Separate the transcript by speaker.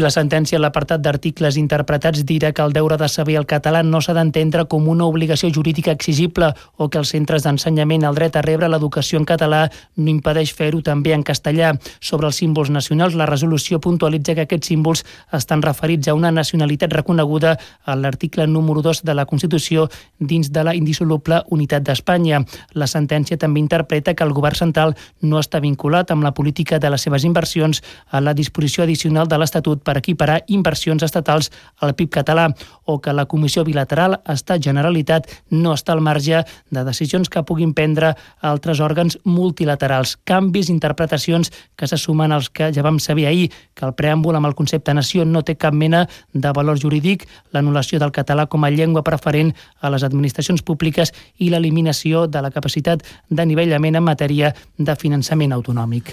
Speaker 1: La sentència en l'apartat d'articles interpretats dirà que el deure de saber el català no s'ha d'entendre com una obligació jurídica exigible o que els centres d'ensenyament el dret a rebre l'educació en català no impedeix fer-ho també en castellà. Sobre els símbols nacionals, la resolució puntualitza que aquests símbols estan referits a una nacionalitat reconeguda a l'article número 2 de la Constitució dins de la indissoluble unitat d'Espanya. La sentència també interpreta que el govern central no està vinculat amb la política de les seves inversions a la disposició addicional de l'Estatut per equiparar inversions estatals al PIB català o que la Comissió Bilateral Estat-Generalitat no està al marge de decisions que puguin prendre altres òrgans multilaterals. Canvis, interpretacions que se sumen als que ja vam saber ahir, que el preàmbul amb el concepte nació no té cap mena de valor jurídic, l'anul·lació del català com a llengua preferent a les administracions públiques i l'eliminació de la capacitat d'anivellament en matèria de finançament autonòmic.